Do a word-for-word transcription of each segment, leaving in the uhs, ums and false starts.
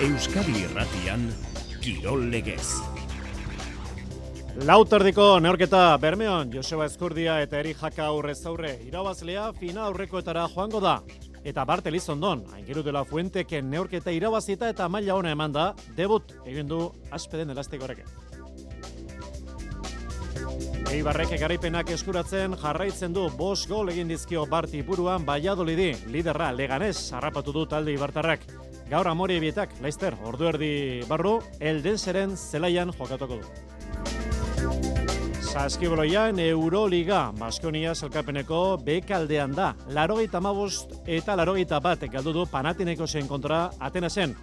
Euskadi Irratian, Kirol Legez. Lauterdiko neorketa Bermeon, Joseba Ezkurdia eta Eri Jaka aurrez aurre. Irabazlea fina aurrekoetara joango da. Eta Bart Elizondon, Aingeru de la Fuenteken neorketa irabazita eta maila ona eman da, debut egin du Aspeden elastiko horrek. Eibarrek garaipenak eskuratzen jarraitzen du bost gol egin dizkio Barti buruan Valladolidi, liderra Leganés harrapatu du talde ibartarrak. Gaur Amore bietak, Laister, ordu erdi barru, Eldenseren zelaian jokatuko du. Saskiboloian Euroliga, Baskonia sailkapeneko bekaldean da. Laurogeita hamabost eta laurogeita bat galdu du Panathinaikosen kontra Atenasen.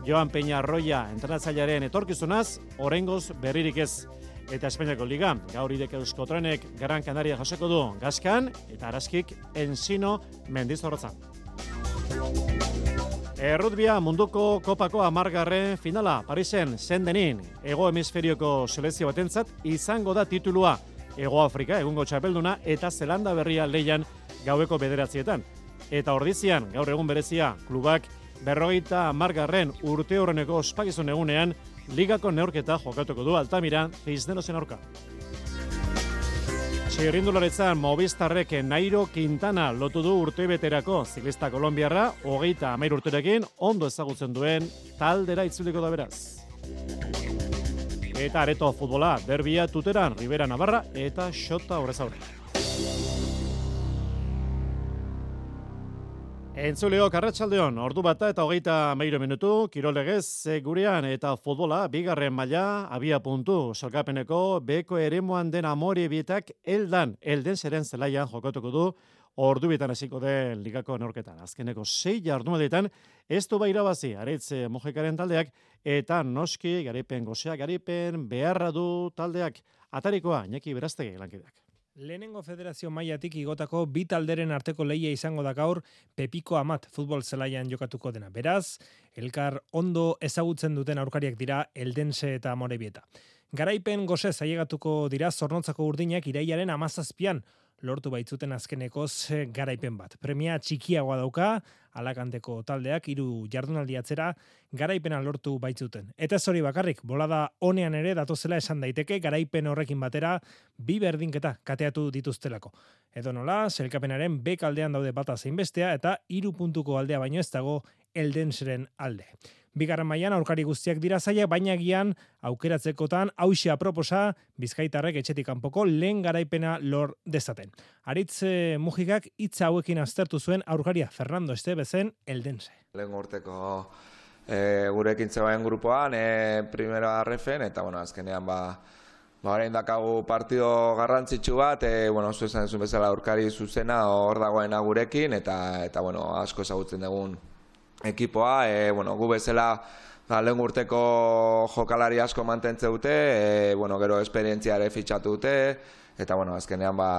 Joan Peñarroia entrenatzailearen etorkizunaz, oraingoz berririk ez. Eta Espainiako Liga, gaur idek Euskotrenek Gran Canaria jasoko du Gaskan eta Araskik Ensino Mendizorrotzan. Errutbia munduko kopako hamargarren finala, Parisen, Sendenin, Hego Hemisferioko selekzio batentzat izango da titulua. Hego Afrika, egungo txapelduna, eta Zelanda berria leian gaueko bederatzietan. Eta ordizian, gaur egun berezia, klubak berrogeita hamargarren urte horreneko ospakizun egunean, ligako neurketa jokatuko du Altamira, Cisnerosen aurka. Txirrindularetzan Movistarrek Nairo Quintana lotu du urtebeterako ziklista kolonbiarra, hogeita hamahiru urterekin ondo ezagutzen duen taldera itzuliko da beraz. Eta areto futbola, derbia Tuteran, Ribera Navarra eta Xota horrez aurre. Entzuleok arratsaldeon, ordu bata eta hogeita hamahiru minutu, Kirol Legez gurean eta futbola, bigarren maila, abia puntu, sailkapeneko beko eremuan den Amore bietak eldan, Eldenseren zelaian jokatuko du, ordu bietan hasiko den ligako neurketan. Azkeneko sei jardunalditan, ez du bai irabazi, Aretz Mojekaren taldeak, eta noski, garaipen gozea, garaipen beharra du taldeak, atarikoa, Iñaki Beraztegi lankideak. Lehenengo federazio mailatik igotako bi talderen arteko lehia izango da gaur Pepiko Amat futbol zelaian jokatuko dena. Beraz, elkar ondo ezagutzen duten aurkariak dira Eldense eta Amorebieta. Garaipen gozez ailegatuko dira Zornotzako urdinak irailaren hamazazpian lortu baitzuten azkenekoz garaipen bat. Premia txikiagoa dauka, Alakanteko taldeak hiru jardunaldi atzera garaipena lortu baitzuten. Eta ez hori bakarrik, bolada onean ere datozela esan daiteke garaipen horrekin batera bi berdinketa kateatu dituztelako. Edo nola, sailkapenaren bek aldean daude bata zein bestea eta hiru puntuko aldea baino ez dago Eldenseren alde. Bigarren mailan aurkari guztiak dira zailak, baina gian aukeratzekotan hauxe aproposa Bizkaitarrek etxetik kanpoko lehen garaipena lor dezaten. Aritz Mujikak hitza hauekin aztertu zuen aurkaria Fernando Estebezen Eldense. Lehen urteko e, gurekin zegoen grupoan, e, primera refen, eta bueno, azkenean ba, ba orain dakagu partido garrantzitsu bat, e, bueno, zu esan duzun bezala aurkari zuzena hor dagoena gurekin, eta, eta bueno, asko ezagutzen dugun ekipoa, e, bueno, gu bezala da, lehen urteko jokalari asko mantentze dute, e, bueno, gero esperientzia ere fitxatu dute, eta bueno, azkenean ba,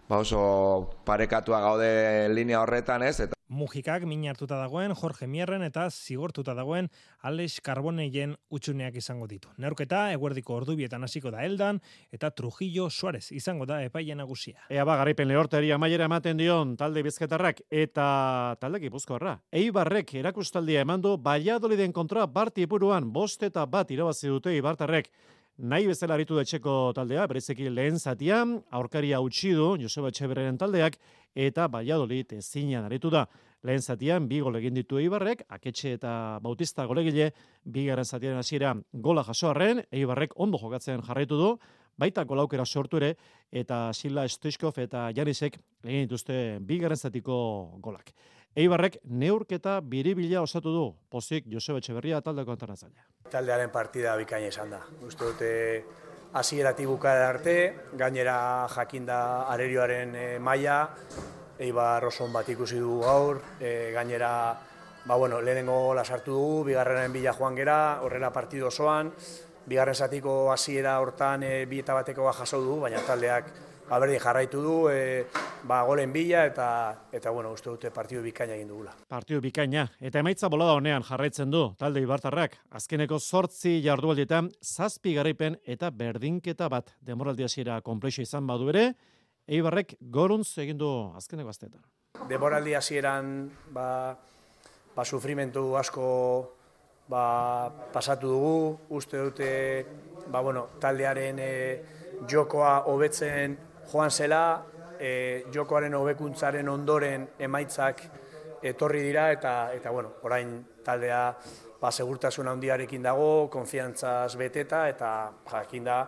ba oso parekatua gaude linea horretan, ez? Eta Mujikak min hartuta dagoen Jorge Mierren eta zigortuta dagoen Alex Carboneien utxuneak izango ditu. Neurketa eguerdiko ordubietan hasiko da Eldan eta Trujillo Suarez izango da epaile nagusia. Ea ba, garaipen lehorteri amaiera ematen dion talde Bizkaitarrak eta talde Gipuzkoarra. Eibarrek erakustaldia emandu Valladoliden kontra Barti buruan bost eta bat irabazi dute Ibartarrek. Nahi bezala aritu etxeko taldea, berezeki lehen zatian, aurkaria utzi du Joseba Etxeberren taldeak, eta Valladolid ezinean aritu da. Lehen zatian, bi gol egin ditu Eibarrek, Aketxe eta Bautista golegile, bigarren zatiaren hasiera gola jasoarren, Eibarrek ondo jokatzen jarraitu du, baita golaukera sortu ere, eta Sila Stoichkov eta Janisek egin dituzte bigarren zatiko golak. Eibarrek neurketa biribila osatu du, pozik Joseba Etxeberria taldeko antrenatzailea. Taldearen partida bikaina izan da. Uste dute hasieratik bukaera arte, gainera jakinda arerioaren e, maila, Eibar oso on bat ikusi du gaur, e, gainera ba, bueno, lehenengo gola sartu dugu, bigarrenen bila joan gera, horrela partidu osoan, bigarren zatiko hasiera hortan e, bi eta batekoa jaso du, baina taldeak ba, berdin jarraitu du, e, ba, golen bila eta, eta bueno, uste dute partidu bikaina egin dugula. Partidu bikaina, eta emaitza bolada honean jarraitzen du talde Ibartarrak. Azkeneko zortzi jardunaldietan zazpi garaipen eta berdinketa bat demoraldi hasiera konplexua izan badu ere, Eibarrek goruntz egin du azkeneko asteetan. Demoraldi hasieran ba, ba, sufrimentu asko ba, pasatu dugu, uste dute ba, bueno, taldearen e, jokoa hobetzen joan zela, e, jokoaren hobekuntzaren ondoren emaitzak etorri dira eta eta bueno, orain taldea ba segurtasun handiarekin dago, konfiantzaz beteta eta jakinda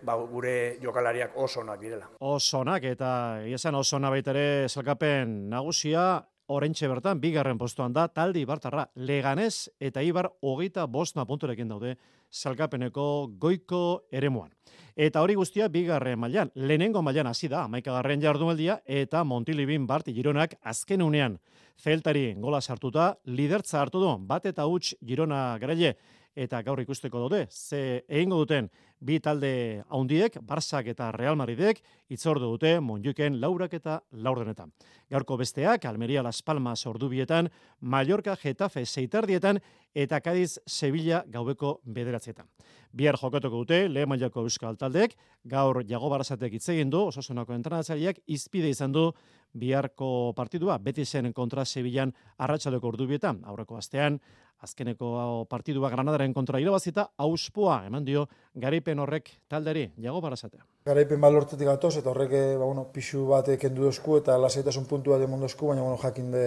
ba, gure jokalariak oso onak direla. Oso onak eta esan oso ona baita ere sailkapen nagusia oraintxe bertan bigarren postuan da talde Ibartarra. Leganés eta Ibar hogeita bost punturekin daude sailkapeneko goiko eremuan. Eta hori guztia bigarren mailan, lehenengo mailan hasi da, hamaikagarren jardunaldia eta Montilibin Bart Gironak azken unean Zeltari gola sartuta lidertza hartu du, bat eta huts Girona garaile eta gaur ikusteko daude, ze egingo duten bi talde haundiek, Barsak eta Real Madridek, itzordu dute Montjuiken laurak eta laurdenetan. Gaurko besteak, Almeria Las Palmas ordubietan, Mallorca Getafe seitardietan eta Cádiz Sevilla gaubeko bederatzietan. Bihar jokatuko dute, lehen mailako euskal taldeek, gaur Jago Barasatek hitz egin du, Osasunako entrenatzaileak izpide izan du biharko partidua, Betisen kontra Sevillan arratsaldeko ordubietan, aurreko astean, azkeneko partidua Granadaren kontra irabazita, auspoa eman dio garaipen horrek talderi, Jago Barasatea. Garaipen bat lortetik gatoz, eta horrek ba, bueno, pixu bat kendu dozku eta lasaitasun puntu bat emon dozku, baina bueno, jakin de,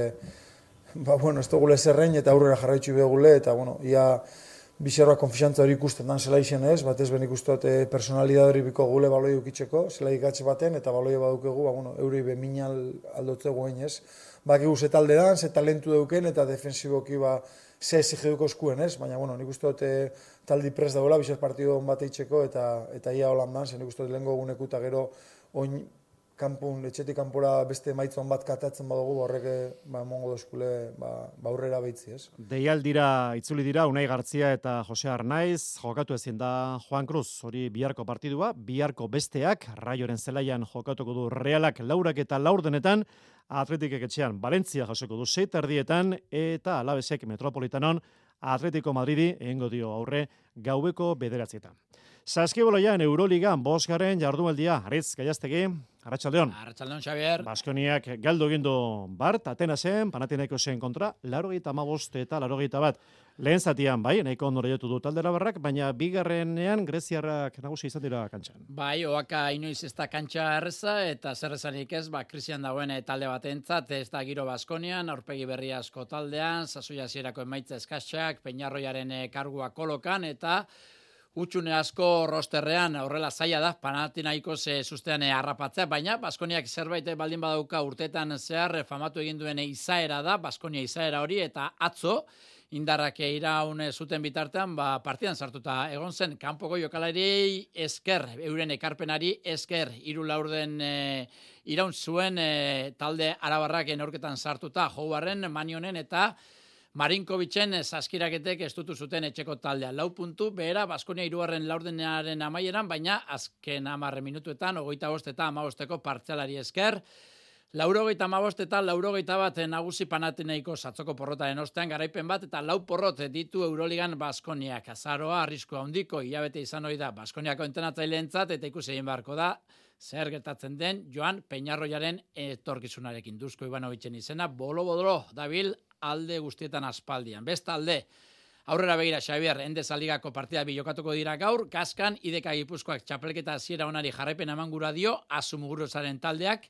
ba, bueno, ez dugule zerrein eta aurrera jarraitzu begule, eta bueno, ia bizarroa konfiantza hori ikusten dan zela izen ez, bat ez ben ikustot e, personalidad hori biko gule baloi ukitzeko, zela ikatxe baten, eta baloi badukegu, ba, bueno, euri beminal aldotze guen ez. Bakigu ze talde dan, ze talentu duken, eta defensiboki ba, ze exigiduko eskuen ez, baina bueno, nik uste e, taldi prest dagoela, bizar partido on bat eitzeko, eta, eta ia holan dan, zen nik uste lehenko guneku eta gero oin kanpun, etxetik kanpora beste maitzon bat katatzen badugu, horrek ba, mongo dozkule ba, ba aurrera behitzi, ez? Deialdira itzuli dira Unai Gartzia eta Jose Arnaiz, jokatu ezin da Juan Cruz, hori biharko partidua, biharko besteak, Raioren zelaian jokatuko du Realak laurak eta laurdenetan, Atletikek etxean Valentzia jasoko du sei erdietan eta Alavesek Metropolitanon Atletico Madridi egingo dio aurre gaubeko bederatzietan. Saskiboloian Euroligan bosgarren jardunaldia, Aritz Gaiaztegi, Arratsaldeon. Arratsaldeon, Xavier. Baskoniak galdu egin du Bart, Atenasen, Panathinaikosen kontra, laurogeita hamabost eta laurogeita bat. Lehen zatian, bai, nahiko ondo lehiatu du taldera barrak, baina bigarrenean greziarrak nagusi izan dira kantxan. Bai, oaka inoiz ez da kantxa erreza, eta zer esanik ez, ba, krisian dagoen talde batentzat, ez da giro Baskonian, aurpegi berri asko taldean, sasoia hasierako emaitza eskatxak, Peñarroiaren kargua kolokan, eta utxune asko rosterrean horrela zaila da, Panathinaikos e, sustean harrapatzea, baina Baskoniak zerbait baldin badauka urteetan zehar famatu egin duen izaera da, Baskonia izaera hori, eta atzo, indarrak iraun zuten bitartean, ba, partidan sartuta egon zen, kanpoko jokalari esker, euren ekarpenari esker, hiru laurden e, iraun zuen e, talde arabarrak neurketan sartuta, Jouarren, Manionen eta Marinkovicen saskiraketek estutu zuten etxeko taldea. Lau puntu, behera, Baskonia hirugarren laurdenaren amaieran, baina azken hamarre minutuetan, ogoita bost eta amabosteko partzialari esker, laurogeita amabost eta laurogeita bat nagusi Panathinaiko satzoko porrotaren ostean garaipen bat eta lau porrot ditu Euroligan Baskoniak. Azaroa, arrisko handiko, hilabete izan hori da Baskoniako entenatzaileentzat eta ikusi egin beharko da zer gertatzen den Joan Peñarroiaren etorkizunarekin. Dusko Ivanovicen izena, bolo-bodolo dabil alde guztietan aspaldian. Bestalde, aurrera begira Xavier, Endesa Ligako partida bi jokatuko dira gaur, Kaskan, Ideka Gipuzkoak txapelketa hasiera onari jarraipen emangura dio, Asumuguruzaren taldeak,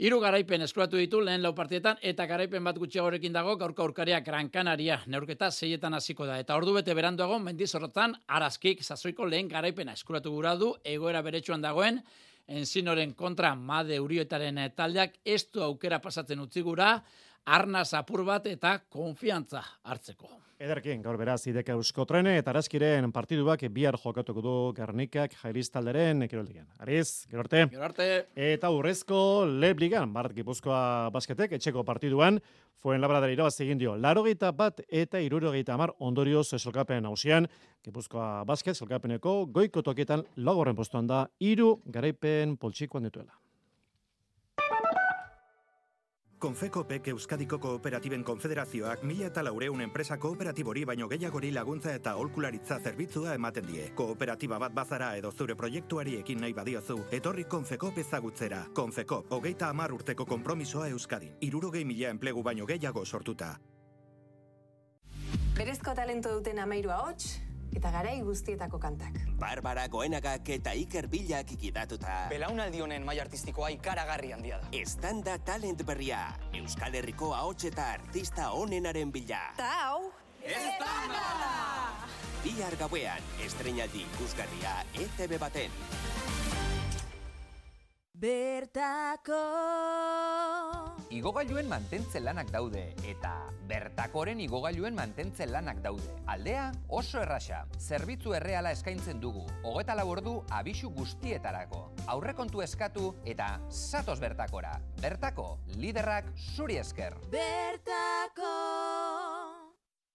hiru garaipen eskuratu ditu lehen lau partietan, eta garaipen bat gutxiagorekin dago, gaurko aurkariak Gran Canaria, neurketa seietan hasiko da. Eta ordu bete beranduago, Mendizorrotan, Araskik, sasoiko lehen garaipena eskuratu gura du, egoera beretsuan dagoen, Enzinoren kontra Made Urioetaren taldeak, ez du aukera pasatzen utzi gura, arnaz apur bat eta konfiantza hartzeko. Ederkin, gaur beraz, Ideka Euskotrene eta Araskiren partiduak bihar jokatuko du Gernikak Jairiz talderen Kiroldigan. Ariz, gero arte. Gero arte. Eta urrezko Lebligan, Bart Gipuzkoa basketek, etxeko partiduan, Fuenlabradari irabazi egin dio, larogeita bat eta hirurogeita hamar ondorioz selkapen hausian, Gipuzkoa basket selkapeneko goiko toketan laugarren postuan da, hiru garaipen poltsikoan dituela. Konfekopek Euskadiko Kooperatiben Konfederazioak mila eta laureun enpresa kooperatibori baino gehiagori laguntza eta aholkularitza zerbitzua ematen die. Kooperatiba bat bazara edo zure proiektuari ekin nahi badiozu, etorri Konfekop ezagutzera. Konfekop, hogeita hamar urteko konpromisoa Euskadin. Hirurogei mila enplegu baino gehiago sortuta. Berezko talento duten amairu ahots eta garai guztietako kantak. Barbara Goenagak eta Iker Bilak ikidatuta. Belaunaldi honen maila artistikoa ikaragarri handia da. Estanda talent berria. Euskal Herriko ahots eta artista onenaren bila. Ta hau, Estanda! Bihar gauean, estreinaldi ikusgarria E T B baten. Bertako Igogailuen mantentze lanak daude eta Bertakoren igogailuen mantentze lanak daude. Aldea oso erraxa, zerbitzu erreala eskaintzen dugu, hogeita lau ordu abisu guztietarako. Aurrekontu eskatu eta zatoz Bertakora. Bertako, liderrak zuri esker. Bertako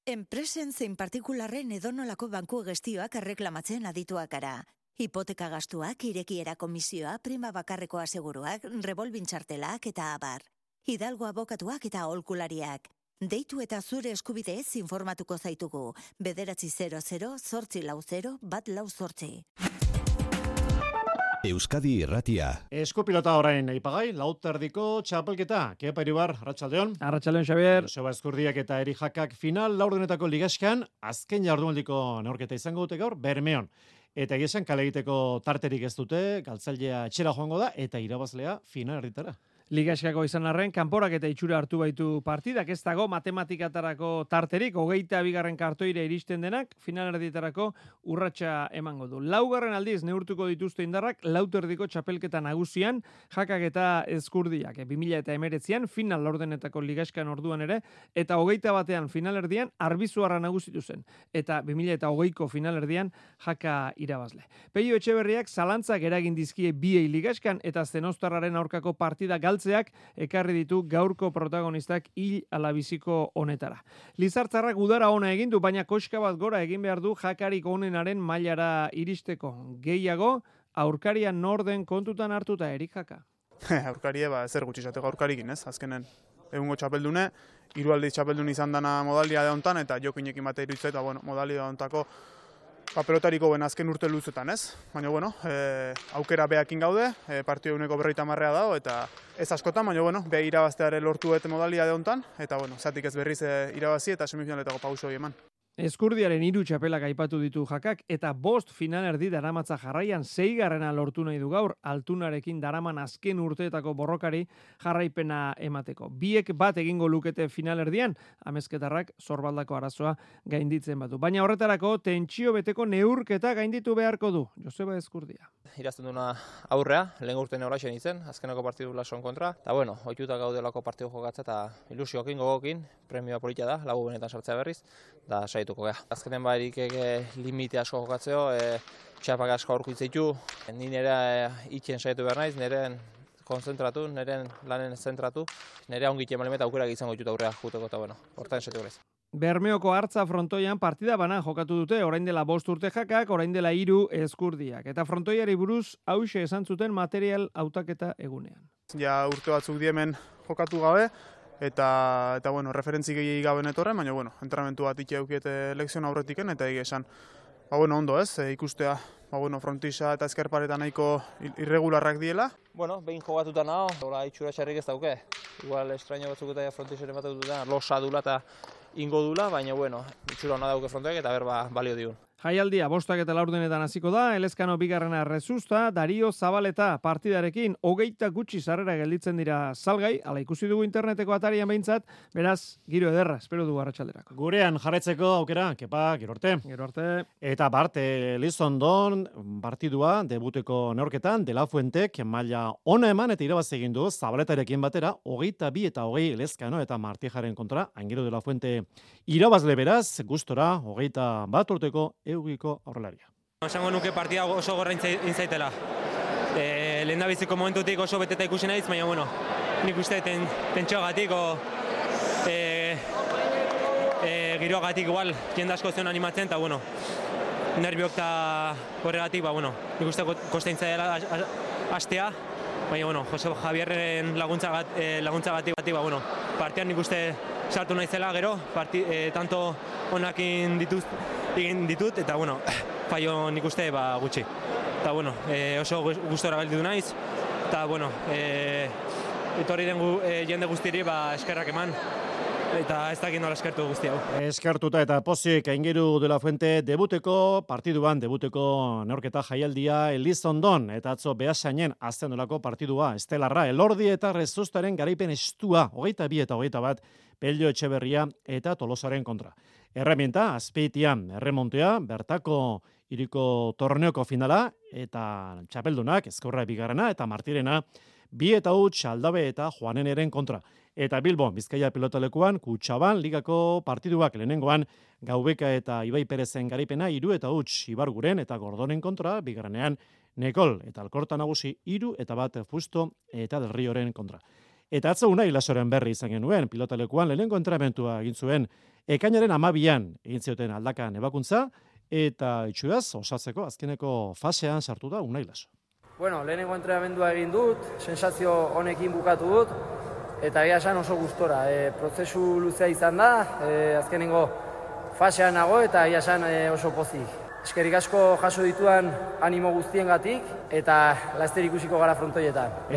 Enpresen zein partikularren edonolako banku gestioak erreklamatzen adituak gara. Hipoteka gastuak, irekiera komisioa, prima bakarreko aseguruak, revolbintxartelak eta abar. Hidalgo abokatuak eta aholkulariak. Deitu eta zure eskubideez informatuko zaitugu. Bederatzi zero zero, zortzi lau zero, bat lau zortzi. Euskadi Irratia. Eskupilota orain aipagai, lauterdiko txapelketa. Kepa Iribar, Arratsaldeon. Arratsaldeon, Xabier. Joseba Eskurdiak eta Eri Jakak final laurdenetako ligaskan, azken jardunaldiko neurketa izango dute gaur, Bermeon. Eta egizan kale egiteko tarterik ez dute, galtzailea etxera joango da, eta irabazlea final erditara. Ligaskako izan arren, kanporak eta itxura hartu baitu partidak, ez dago matematikatarako tarterik, hogeita bigarren kartoire iristen denak, final erdietarako urratsa emango du. Laugarren aldiz neurtuko dituzte indarrak, lauterdiko txapelketa nagusian, Jakak eta Eskurdiak, bi mila hemeretzian, final laurdenetako ligaskan orduan ere, eta hogeita batean final erdian, Arbizuarra nagusitu zen, eta bi mila hogeiko final erdian, Jaka irabazle. Peio Etxeberriak zalantzak eragin dizkie biei ligaskan, eta Zenostarraren aurkako partida galtzeak ekarri ditu gaurko protagonistak hil alabiziko honetara. Lizartzarrak udara ona egin du, baina koska bat gora egin behar du Jakarik onenaren mailara iristeko. Gehiago, aurkaria norden kontutan hartuta Erik Jaka. Aurkarie, ba, zer gutxi izateko aurkarikin, ez? Azkenen, egungo txapeldune, hiru aldiz txapeldun izan dana modalia da hontan, eta jokinekin bate iruditzait, eta, bueno, modalia da hontako ba, pelotariko ben azken urte luzetan, ez? Baina, bueno, e, aukera behakin gaude, e, partio uneko berroita marrea dago, eta ez askotan, baina, bueno, beha irabazteare lortu eta modalia da hontan, eta, bueno, zatik ez berriz e, irabazi eta semifinaletako pauso eman. Eskurdiaren hiru txapelak aipatu ditu Jakak eta bost finalerdi daramatza jarraian seigarrena lortu nahi du gaur altunarekin daraman azken urteetako borrokari jarraipena emateko. Biek bat egingo lukete finalerdian, amezketarrak zorbaldako arazoa gainditzen batu. Baina horretarako tentsio beteko neurketa gainditu beharko du. Joseba Eskurdia. Irazten duna aurrea, lehen urte neuraxen izen, azkenako partidu lason kontra. Eta bueno, oituta gaudelako partidu jokatza eta ilusiokin gogokin, premioa polita da, lagu benetan sartzea berriz, da saituko geha. Azkenen barik limite asko jokatzeo, e, txapak asko aurku itzitu, ni nire e, itxen saiatu behar naiz, nireen konzentratu, nireen lanen zentratu, nire ongitien malimeta aukera izango dituta aurrea juteko eta bueno, hortan saiatu berriz. Bermeoko hartza frontoian partida bana jokatu dute, orain dela bost urte Jakak, orain dela hiru Eskurdiak. Eta frontoiari buruz hauxe esan zuten material hautaketa egunean. Ja urte batzuk diemen jokatu gabe, eta, eta bueno, referentzi gehiagik gabe netorren, baina, bueno, entrenamentu bat ikia eukiete lekzion aurretiken, eta egia esan, ba, bueno, ondo ez, e, ikustea, ba, bueno, frontisa eta ezkerpareta nahiko irregularrak diela. Bueno, behin jogatuta naho, hola itxura txarrik ez dauke. Igual estraño batzuk eta frontisaren bat dutena, losa dula eta ingo dula, baina, bueno, itxura hona dauke frontoek eta berba balio diun. Jaialdia bostak eta laurdenetan hasiko da, Elezkano bigarrena Rezusta, Dario Zabaleta partidarekin hogeita gutxi sarrera gelditzen dira salgai, ala ikusi dugu interneteko atarian behintzat, beraz, giro ederra, espero dugu arratsalderako. Gurean jarretzeko aukera, kepa, gero arte. Gero arte. Eta Bart Elizondon partidua debuteko neorketan, De La Fuentek maila ona eman eta irabaz egin du Zabaletarekin batera, hogeita bi eta hogei Elezkano eta Martijaren kontra, Angelo De La Fuente irabazle beraz, gustora, hogeita bat urteko eugiko aurrelaria. Esango nuke partida oso gorra intzaitela. E, lehen da biziko momentutik oso beteta ikusi naiz, baina bueno, nik uste ten, tentxoagatik o e, e, giroagatik igual jende asko zion animatzen, eta bueno, nerviok eta horregatik, ba bueno, nik uste kosteintza dela hastea, baina bueno, Jose Javierren laguntza bat, e, laguntza batik batik, ba bueno, partian nik uste sartu naizela gero, parti, e, tanto onakin dituz, egin ditut, eta bueno, fallo nik uste ba, gutxi. Eta bueno, e, oso gustora gelditu naiz, eta bueno, e, etorri den gu, e, jende guztiri ba, eskerrak eman. eta ez dakit nola eskertu guzti hau. Eskartuta eta pozik Aingeru de la Fuente debuteko partiduan, debuteko neurketa jaialdia Elizondon, eta atzo Beasainen azten dolako partidua estelarra, Elordi eta Rezustaren garaipen estua, hogeita bi eta hogeita bat, Pello Etxeberria eta Tolosaren kontra. Erremienta, Azpeitian, erremontea, bertako iriko torneoko finala, eta txapeldunak, Ezkorra bigarrena eta Martirena, bi eta huts Aldabe eta Juaneneren kontra. Eta Bilbo, Bizkaia pilotalekuan, Kutxaban, ligako partiduak lehenengoan, Gaubeka eta Ibai Perezen garaipena, hiru eta huts Ibarguren eta Gordonen kontra, bigarrenean Nekol eta Alkorta nagusi, hiru eta bat Fusto eta Del Rioren kontra. Eta atzo Unai Lasoren berri izan genuen, pilotalekuan lehenengo entrenamentua egin zuen, ekainaren amabian egin zioten aldakan ebakuntza, eta itxuraz, osatzeko azkeneko fasean sartu da Unai Laso. Bueno, lehenengo entrenamendua egin dut, sensazio honekin bukatu dut, eta egia esan oso gustora. E, prozesu luzea izan da, e, azkenengo fasean nago eta egia esan e, oso pozik. Eskerik asko jaso dituan animo guztiengatik eta laster ikusiko gara frontoietan.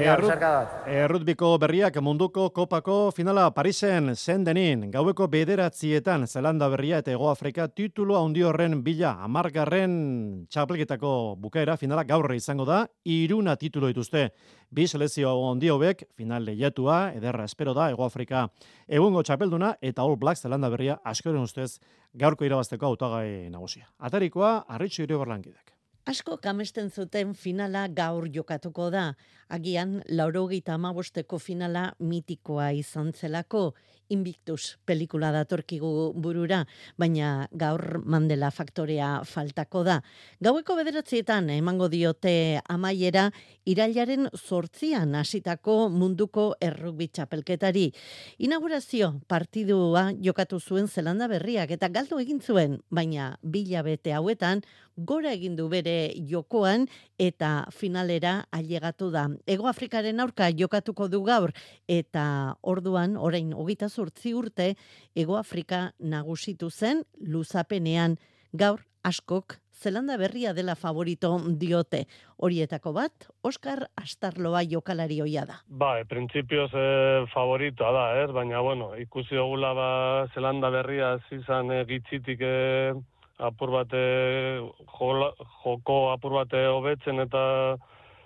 Errutbiko berriak munduko kopako finala Parisen Sendenin, gaueko bederatzietan Zelanda berria eta Hego Afrika titulu handi horren bila hamargarren txapelketako bukaera finala gaur izango da, hiruna titulu dituzte. Bi selezio handi hobek final lehiatua, ederra espero da Hego Afrika egungo txapelduna eta All Black Zelanda berria askoren ustez gaurko irabazteko hautagai nagusia. Atarikoa Arritxu Iribarlankideak. Asko kamesten zuten finala gaur jokatuko da. Agian laurogeita hamabosteko finala mitikoa izan zelako. Invictus pelikula datorkigu burura, baina gaur Mandela faktorea faltako da. Gaueko bederatzietan emango diote amaiera irailaren zortzian hasitako munduko errugbi txapelketari. Inaugurazio partidua jokatu zuen Zelanda berriak eta galdu egin zuen, baina bilabete hauetan gora egin du bere jokoan eta finalera ailegatu da. Hego Afrikaren aurka jokatuko du gaur eta orduan orain hogeita zortzi urte Hego Afrika nagusitu zen luzapenean. Gaur askok Zelanda berria dela favorito diote. Horietako bat, Oskar Astarloa jokalari hoia da. Ba, e, printzipioz e, favoritoa da, ez? Baina, bueno, ikusi dugula ba, Zelanda berria zizan e, gitzitik e, apur bate, jola, joko apur bate hobetzen eta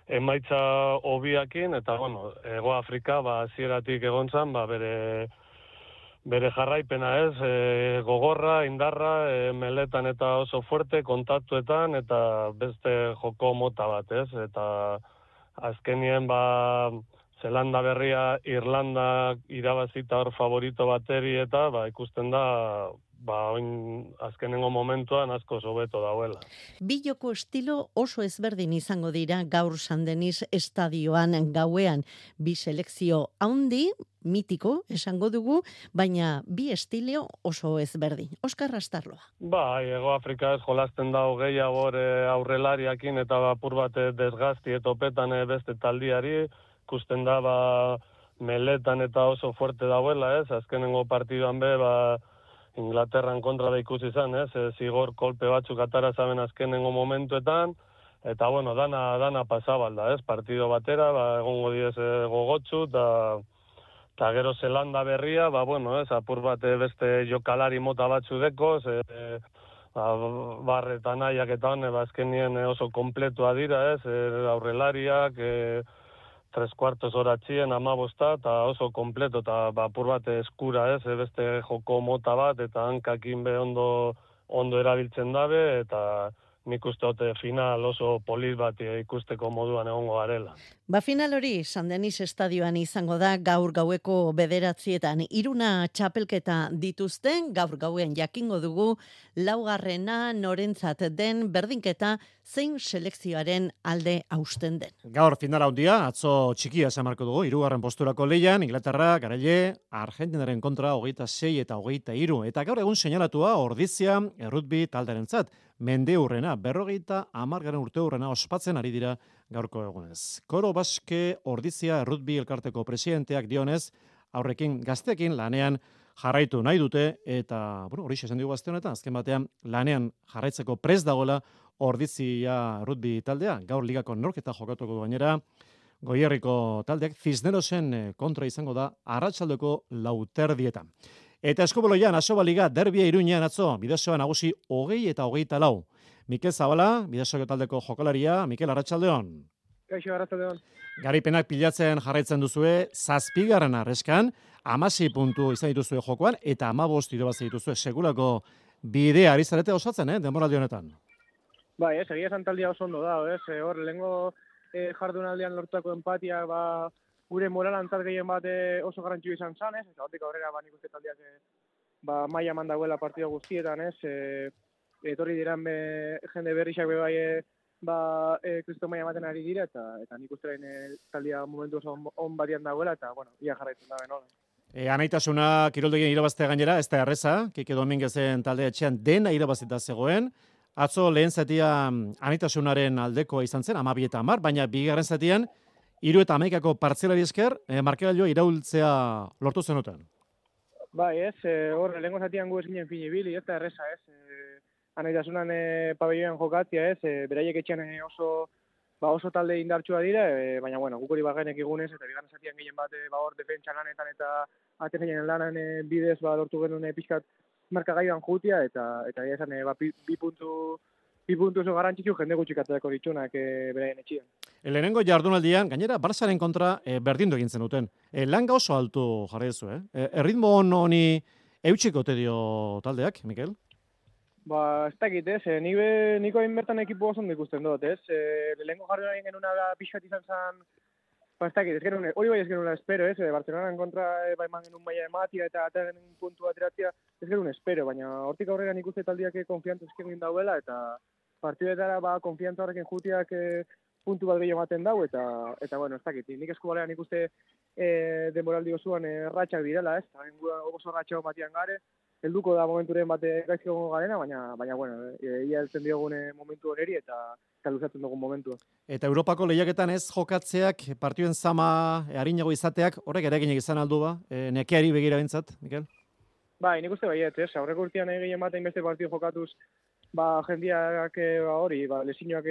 emaitza hobiakin, eta, bueno, Hego Afrika, ba, hasieratik egon zan, ba, bere... bere jarraipena ez, e, gogorra, indarra, e, meletan eta oso fuerte, kontaktuetan, eta beste joko mota bat ez, eta azkenien ba, Zelanda berria, Irlanda irabazita hor favorito bateri eta ba, ikusten da, ba, oin azkenengo momentuan asko hobeto dauela. Bi joko estilo oso ezberdin izango dira gaur San Denis estadioan gauean. Bi selekzio handi, mitiko, esango dugu, baina bi estilio oso ezberdin. Oskar Astarloa. Ba, Hego Afrika ez jolasten da gehiago aurrelariakin eta apur bat desgazti etopetan beste taldiari, ikusten da ba, meletan eta oso fuerte dauela, ez? Azkenengo partiduan be, ba, Inglaterran kontra da ikusi izan, ez? E, zigor kolpe batzuk atara zaben azkenengo momentuetan, eta bueno, dana, dana pasabalda, ez? Partido batera, ba, egongo diez e, gogotsu, eta eta gero Zelanda berria, ba, bueno, ez? Apur bat beste jokalari mota batzu dekoz, e, e, ba, barretan nahiak eta hone, ba, azkenien oso kompletua dira, ez? E, aurrelariak, e, tres cuartos hora txien, amabosta, eta oso kompleto, eta ba, apur bat eskura, ez, beste joko mota bat, eta hankakin be ondo, ondo erabiltzen dabe, eta nik uste dute final oso polit bat ikusteko moduan egongo garela. Ba final hori San Denis estadioan izango da gaur gaueko bederatzietan. Iruna txapelketa dituzten, gaur gauen jakingo dugu, laugarrena norentzat den berdinketa zein selekzioaren alde hausten den. Gaur finala handia, atzo txikia esamarko dugu, hirugarren posturako leian, Inglaterra, garaile, Argentinaren kontra hogeita sei eta hogeita hiru. Eta gaur egun seinalatua ordizia errutbi talderentzat. Mende hurrena, berrogeita amargaren urte hurrena ospatzen ari dira gaurko egunez. Koro Baske Ordizia Errutbi elkarteko presidenteak dionez, aurrekin gazteekin lanean jarraitu nahi dute, eta bueno, hori esan dugu gazte honetan, azken batean lanean jarraitzeko prest dagoela Ordizia Errutbi taldea, gaur ligako norketa jokatuko du gainera, Goierriko taldeak Cisnerosen kontra izango da arratsaldeko lauterdietan. Eta eskuboloian Asoba Liga derbia Iruñean atzo, Bidasoa nagusi hogei eta hogeita lau. Mikel Zabala, Bidasoako taldeko jokalaria, Mikel Arratsaldeon. Kaixo, Arratsaldeon. Garipenak pilatzen jarraitzen duzue, zazpigarren arreskan, hamasei puntu izan dituzue jokoan, eta hamabost irabazi dituzue segulako bidea ari zarete osatzen, eh, denboraldi honetan. Bai, ez, egia esan taldia oso ondo da, ez, e, hor, lehengo e, jardunaldian lortutako empatia, ba, gure moralantzat gehien bat e, oso garrantzio izan zan, ez, eta hortik aurrera, ba, nik uste taldiak, e, ba, maila mandagoela partido guztietan, ez, e, etorri diran be, jende berrixak be bai, e, ba, e, kristo maila ematen ari dira, eta, eta nik uste e, taldia momentu oso on, on batian dagoela, eta, bueno, ia jarraitzen da, benola. E, anaitasuna kiroldegien irabaztea gainera, ez da erreza, Kike Dominguezen talde etxean dena irabazita zegoen. Atzo lehen zatia anaitasunaren aldekoa izan zen, amabi eta amar, baina bigarren zatian, hiru eta hamaikako partzelari esker, e, markagailua iraultzea lortu zenuten. Bai, ez, e, hor, lehenko zatian gu esinen finibili, ez da erreza, ez. E, anaitasunan e, pabelloan jokatzia, ez, e, beraiek etxean e, oso, ba, oso talde indartsua dira, e, baina, bueno, guk hori bagenek egunez, eta bigarren zatian gehien bat, e, ba, hor, defentsa lanetan eta atenean lanan e, bidez, ba, lortu genuen e, pixkat markagailuan jutia, eta, eta esan, e, ba, bi, bi puntu, bi puntu oso garrantzitsu jende gutxikatzeko ditxunak e, beraien etxian. Lehenengo jardunaldian, gainera, Barsaren kontra e, berdindu egin zenuten. E, langa oso altu jarri duzu, eh? E, erritmo honi eutxiko te dio taldeak, Mikel? Ba, ez dakit, ez, e, niko, niko hain bertan ekipo oso ondo ikusten dut, ez? E, lehenengo jardunaldian genuna da pixkat izan zen, ba, ez dakit, ez genuen, hori bai ez genuen espero, ez? E, Barcelonaren kontra e, ba, eman genuen maila ematia eta ataren puntu ateratzea, ez genuen espero, baina hortik aurrera nik uste taldiak konfiantza esken dauela, eta partidetara ba, konfiantza horrekin jutiak e, puntu bat gehiago ematen dau, eta, eta bueno, ez dakit, nik eskubalean nik uste e, denboraldi osoan e, ratxak direla, ez? Oso ratxak batian gare, helduko da momenturen bate gaizki egongo garena, baina, baina bueno, ia heltzen diogune momentu hori eta, eta luzatzen dugun momentua. Eta Europako lehiaketan ez jokatzeak, partiduen zama, e, harinago izateak, horrek ere ginek izan aldu ba, e, nekeari begira bintzat, Mikel? Bai, nik uste baiet, ez, aurreko urtean egin ematen beste partidu jokatuz, ba, jendiak ba, hori, ba, lesinoak,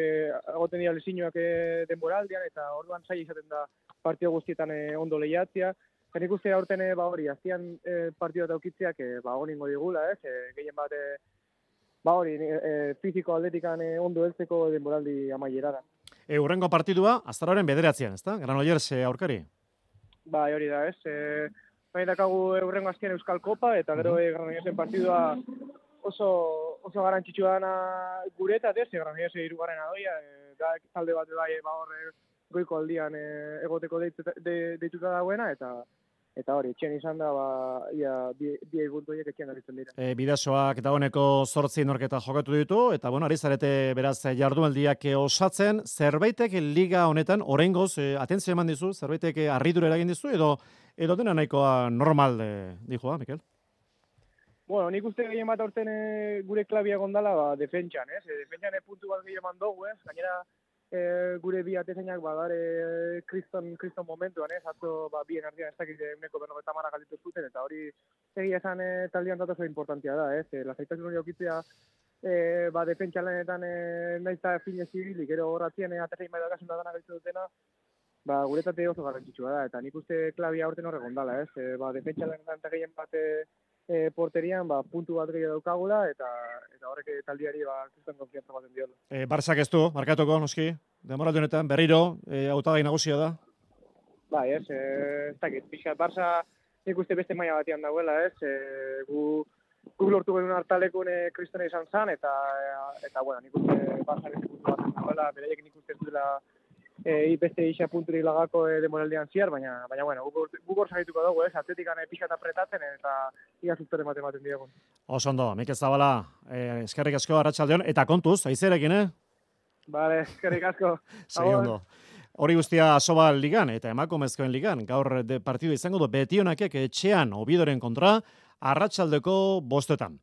agoten dira lesinoak denboraldian, eta orduan zaila izaten da partidu guztietan e, ondo lehiatzea. Nik uste aurten ba hori, aztian e, partidua daukitzeak e, ba honingo digula, ez? E, gehien bat, e, ba hori, e, fiziko atletikan e, ondo heltzeko denboraldi amaierara. E, urrengo partidua, aztaroren bederatzean, ezta? Granollers e, aurkari? Ba, hori da, ez? E, Baina dakagu urrengo aztian Euskal Kopa, eta gero e, Granollersen partidua oso, oso garantzitsua dana guretat, ez? Granollers hirugarren adoia, e, da talde bat bai, ba hor goiko aldian e, egoteko deituta, de, deituta dagoena, eta Eta hori, etxean izan da, ba, ia, bi, bi eguntu horiek etxean aritzen dira. E, Bidasoak dagoeneko zortzi norketa jokatu ditu, eta bueno, ari zarete beraz jardunaldiak osatzen, zerbaitek liga honetan, oraingoz e, atentzio eman dizu, zerbaitek harridura eragin dizu, edo, edo dena nahikoa normal e, dijoa, Mikel? Bueno, nik uste gehien bat aurten e, gure klabia gondala, ba, defentsan, ez? E, defentsan e, puntu bat gehien mandogu, ez? Gainera, E, gure bi atezainak badare kriston, kriston momentuan, ez? Atzo ba, bien artean ez dakit uneko berrogeta marra galditu zuten, eta hori egia esan e, taldean dut oso importantia da, ez? E, lasaitasun hori aukitzea e, ba, defentsa lanetan e, nahiz eta fine zibilik, gero horratzien e, atezain bai dakasun da dana galditu dutena, ba, guretate oso garrantzitsua da, eta nik uste klabia aurten horrek ondala, ez? E, ba, defentsa lanetan eta gehien bat e, e, porterian ba, puntu bat gehiago daukagula, eta eta horrek taldiari ba, kriston konfiantza baten diola. E, Barsak ez du, markatuko, noski, demoraldi honetan, berriro, e, hautagai nagusia da? Bai, ez, e, ez dakit, pixkat, Barça nik uste beste maila batean dagoela, ez, e, gu, gu lortu genuen hartalekun e, kristone izan zan, eta, eta bueno, nik uste Barça beste puntu batean dagoela, beraiek nik uste ez duela e, beste isa punturik lagako e, demoraldian ziar, baina, baina bueno, guk hor sagituko dugu, ez, atletikan e, pixkat apretatzen, eta ia zuztore ematen ematen diegun. Oso ondo, Mikel Zabala, eh, eskerrik asko Arratsaldeon, eta kontuz, aizerekin, eh? Bale, eskerrik asko. Segi ondo. Hori guztia Asoba ligan eta emakumezkoen ligan, gaur de partidu izango du Betionakek etxean Obidoren kontra, arratsaldeko bostetan.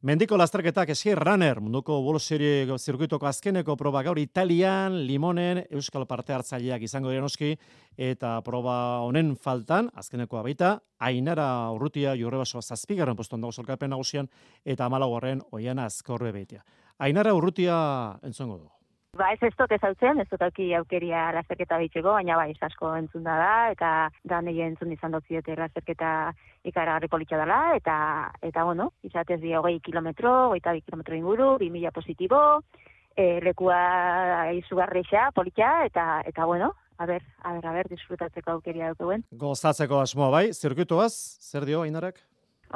Mendiko lasterketak eski runner, munduko bolo serie zirkuitoko azkeneko proba gaur Italian, Limonen, Euskal parte hartzaileak izango dira noski, eta proba honen faltan, azkenekoa baita, Ainara Urrutia Jurrebasoa zazpigarren postuan dago sailkapen nagusian, eta hamalaugarren Oiana Azkorbe beitea. Ainara Urrutia entzongo du. Ba, ez ez dut ezautzen, ez dut auki aukeria lasterketa bitzeko, baina bai, asko entzun da da, eta da nahi entzun izan dut ziote lasterketa ikaragarri politxa dela, eta, eta bueno, izatez di hogei kilometro, hogeita bi kilometro inguru, bi mila positibo, e, lekua izugarreixa, politxa, eta, eta bueno, a ber, a ber, a ber, disfrutatzeko aukeria dukuen. Gozatzeko asmoa bai, zirkuituaz, zer dio, Ainarak?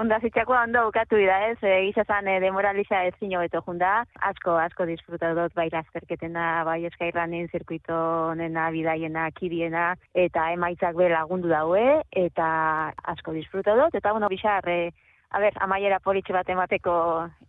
Onda zitxakoa ondo bukatu da ez, e, gizazan e, demoraliza ez zino beto junda, asko, asko disfrutatu dut bai lasterketena, bai eskairranen zirkuito nena, bidaiena, kidiena, eta emaitzak be lagundu daue, eta asko disfrutatu dut, eta bueno, bixar, e, a ber, amaiera politxe bat emateko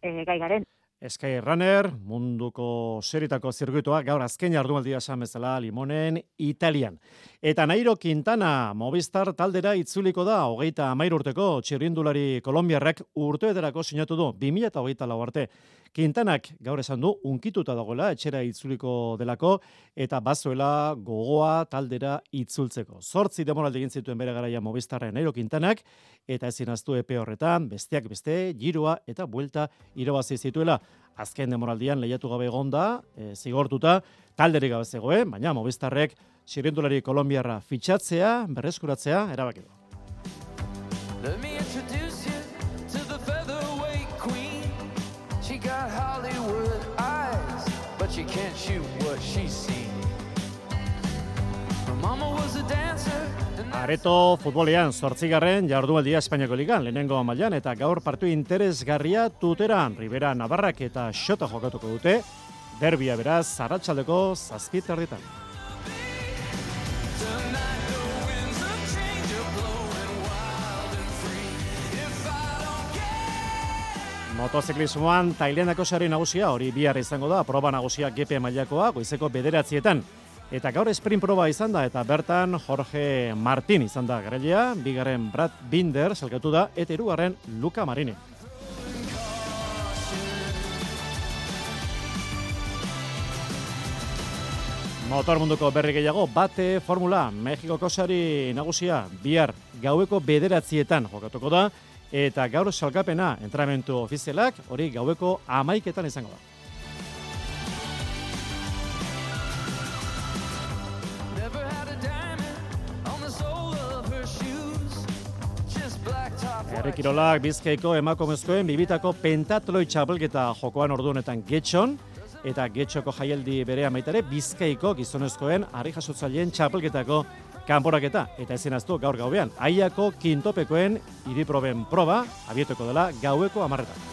e, gai garen. Skyrunner, munduko seritako zirkuitoa, gaur azken jardunaldia esan bezala Limonen, Italian. Eta Nairo Quintana, Movistar taldera itzuliko da, hogeita hamairu urteko txirrindulari kolombiarrak urteetarako sinatu du, bi mila hogeita lau arte. Quintanak gaur esan du, unkituta dagoela, etxera itzuliko delako, eta bazuela gogoa taldera itzultzeko. Zortzi demoraldi egin zituen bere garaia Movistarren Nairo Quintanak, eta ezin aztu epe horretan, besteak beste, giroa eta buelta irabazi zituela. Azken demoraldian lehiatu gabe egonda, e, zigortuta, talderik gabe zegoen, baina Movistarrek txirrindulari kolombiarra fitxatzea, berreskuratzea, erabaki du. Let me introduce you to the featherweight queen. She got Hollywood eyes, but she can't shoot what she's seen. Her mama was a dancer. Areto futbolean zortzigarren jardunaldia Espainiako ligan, lehenengo mailan eta gaur partiu interesgarria Tuteran, Ribera Navarrak eta Xota jokatuko dute, derbia beraz, arratsaldeko zazpi terditan. Motoziklismoan Tailandako sari nagusia, hori bihar izango da, proba nagusia G P mailakoa, goizeko bederatzietan. Eta gaur sprint proba izan da, eta bertan Jorge Martin izan da garailea, bigarren Brad Binder salkatu da, eta hirugarren Luca Marini. Motor munduko berri gehiago, bate formula, Mexikoko sari nagusia, bihar gaueko bederatzietan jokatuko da, eta gaur salkapena entrenamendu ofizialak, hori gaueko hamaiketan izango da. Herrikirolak Bizkaiko emakumezkoen bibitako pentatloi txapelketa jokoan ordu honetan Getxon, eta Getxoko jaialdi bere amaitare Bizkaiko gizonezkoen harri jasotzaileen txapelketako kanporaketa. Eta ezin aztu gaur gauean, Aiako kintopekoen hiriproben proba, abietoko dela gaueko hamarretan.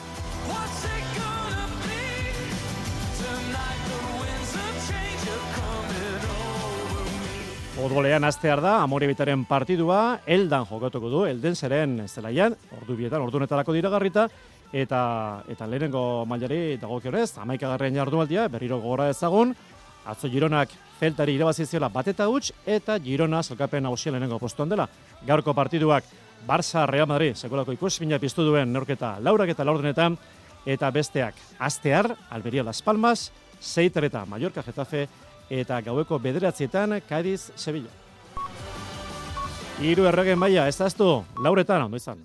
Futbolean astear da, Amorebitaren partidua, Eldan jokatuko du, Eldenseren zelaian, ordu bietan, ordu netarako diragarrita, eta eta lehenengo mailari dagokionez, hamaikagarren jardunaldia, berriro gogora ezagun, atzo Gironak Celtari irabazi ziola bat eta huts, eta Girona salkapen nagusia lehenengo postuan dela. Gaurko partiduak Barça Real Madrid, sekolako ikusmina piztu duen neurketa laurak eta laurdenetan, eta besteak astear, Alberia Las Palmas, Seitereta Mallorca Getafe, eta gaueko bederatzietan Cádiz Sevilla. Hiru erregen maila, ez daztu, lauretan, ondo izan.